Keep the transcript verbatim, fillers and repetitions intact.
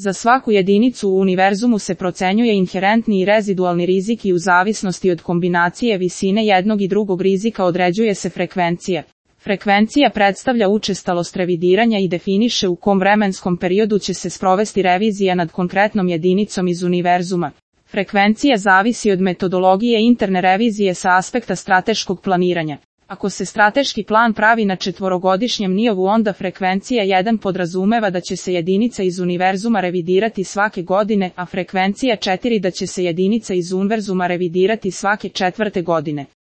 Za svaku jedinicu u univerzumu se procenjuje inherentni i rezidualni rizik i u zavisnosti od kombinacije visine jednog i drugog rizika određuje se frekvencija. Frekvencija predstavlja učestalost revidiranja i definiše u kom vremenskom periodu će se sprovesti revizija nad konkretnom jedinicom iz univerzuma. Frekvencija zavisi od metodologije interne revizije sa aspekta strateškog planiranja. Ako se strateški plan pravi na četvorogodišnjem nivou, onda frekvencija jedan podrazumeva da će se jedinica iz univerzuma revidirati svake godine, a frekvencija četiri da će se jedinica iz univerzuma revidirati svake četvrte godine.